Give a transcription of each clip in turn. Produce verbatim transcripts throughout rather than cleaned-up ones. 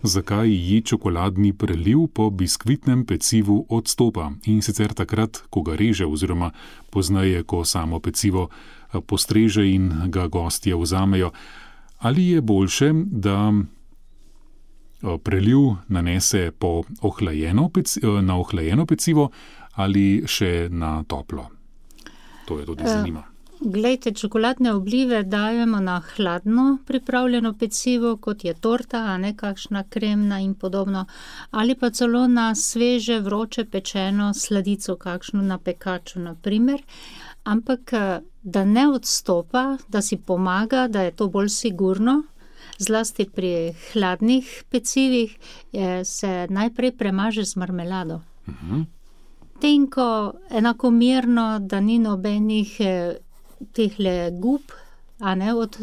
Zakaj ji čokoladni preliv po biskvitnem pecivu odstopa? In sicer takrat, ko ga reže oziroma pozneje, ko samo pecivo postreže in ga gostje vzamejo. Ali je boljše, da preliv nanese po ohlajeno peci, na ohlajeno pecivo ali še na toplo? To je tudi zanima. Glejte, čokoladne oblive dajemo na hladno pripravljeno pecivo, kot je torta, a ne kakšna kremna in podobno, ali pa celo na sveže, vroče pečeno sladico, kakšno na pekaču, na primer. Ampak, da ne odstopa, da si pomaga, da je to bolj sigurno, zlasti pri hladnih pecivih, je, se najprej premaže z marmelado. Uh-huh. Tenko, enakomerno, da ni nobenih tehle gub, a ne, od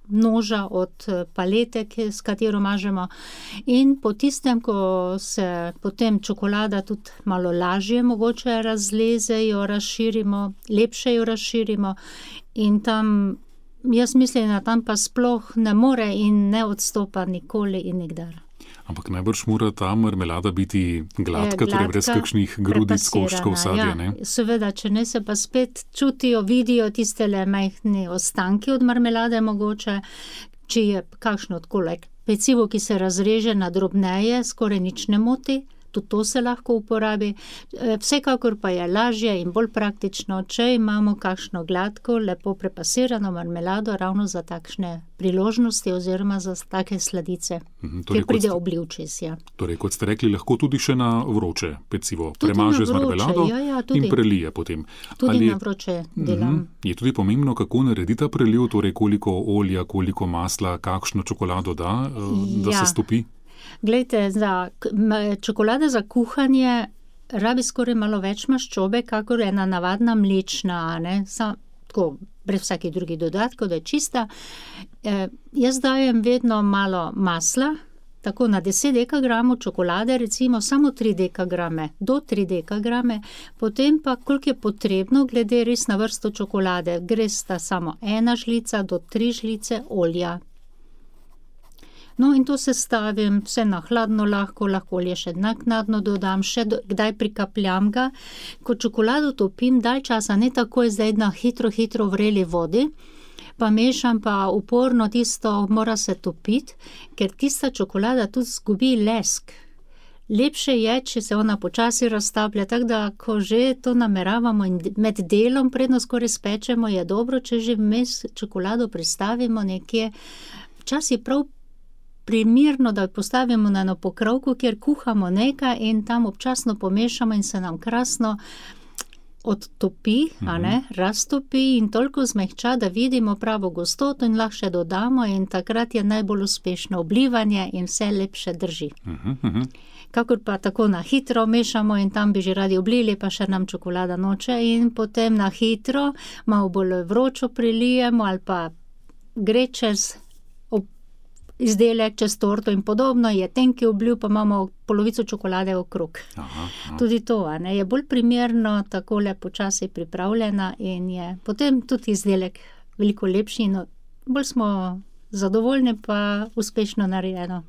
noža, od palete, s katero mažemo. In po tistem, ko se potem čokolada tudi malo lažje mogoče razleze, jo razširimo, lepše jo razširimo in tam, jaz mislim, da tam pa sploh ne more in ne odstopa nikoli in nikdar. Ampak najbrž mora ta marmelada biti gladka, torej brez kakšnih grudic, koščkov, sadja, ne? Ja, seveda, če ne se pa spet čutijo, vidijo tistele majhne ostanki od marmelade mogoče, če je kakšno odkolek pecivo, ki se razreže na drobneje, skoraj nič ne moti, tudi to se lahko uporabi. Vsekakor pa je lažje in bolj praktično, če imamo kakšno gladko, lepo prepasirano marmelado ravno za takšne priložnosti oziroma za take sladice, mhm, torej, kjer pride oblivčis. Ja. Torej, kot ste rekli, lahko tudi še na vroče pecivo premaže z marmelado, ja, ja, in prelije potem. Tudi Ali, na vroče delam. Mhm, je tudi pomembno, kako naredi ta preliv, torej koliko olja, koliko masla, kakšno čokolado da, da ja. se stopi? Glejte, za čokolada za kuhanje rabi skoraj malo več maščobe, kakor ena navadna mlečna, ne, Sa, tako, brez vsakih drugih dodatkov, da je čista. E, jaz dajem vedno malo masla, tako na deset dekagramov čokolade, recimo samo tri dekagrame, do tri dekagrame, potem pa, koliko je potrebno, glede res na vrsto čokolade, gre sta samo ena žlica do tri žlice olja. No, in to sestavim vse na hladno lahko, lahko olje še naknadno dodam, še do, kdaj prikapljam ga. Ko čokolado topim dalj časa, ne takoj zdaj na hitro, hitro vreli vodi, pa mešam pa uporno tisto, mora se topiti, ker tista čokolada tudi zgubi lesk. Lepše je, če se ona počasi raztaplja, tako da, ko že to nameravamo in med delom, predno skoraj spečemo, je dobro, če že vmes čokolado pristavimo nekje, včasih prav primirno, da postavimo na eno pokrovko, kjer kuhamo nekaj in tam občasno pomešamo in se nam krasno odtopi, mm-hmm. a ne, raztopi in toliko zmehča, da vidimo pravo gostoto in lahko še dodamo in takrat je najbolj uspešno oblivanje in vse lepše drži. Mm-hmm. Kakor pa tako na hitro mešamo in tam bi že radi oblili, pa še nam čokolada noče in potem na hitro malo bolj vročo prilijemo ali pa gre čez izdelek, čez torto in podobno, je tenki obliv, pa imamo polovico čokolade okrog. Aha, aha. Tudi to, a ne, je bolj primerno, takole počasi pripravljena in je potem tudi izdelek veliko lepši in bolj smo zadovoljni, pa uspešno narejeno.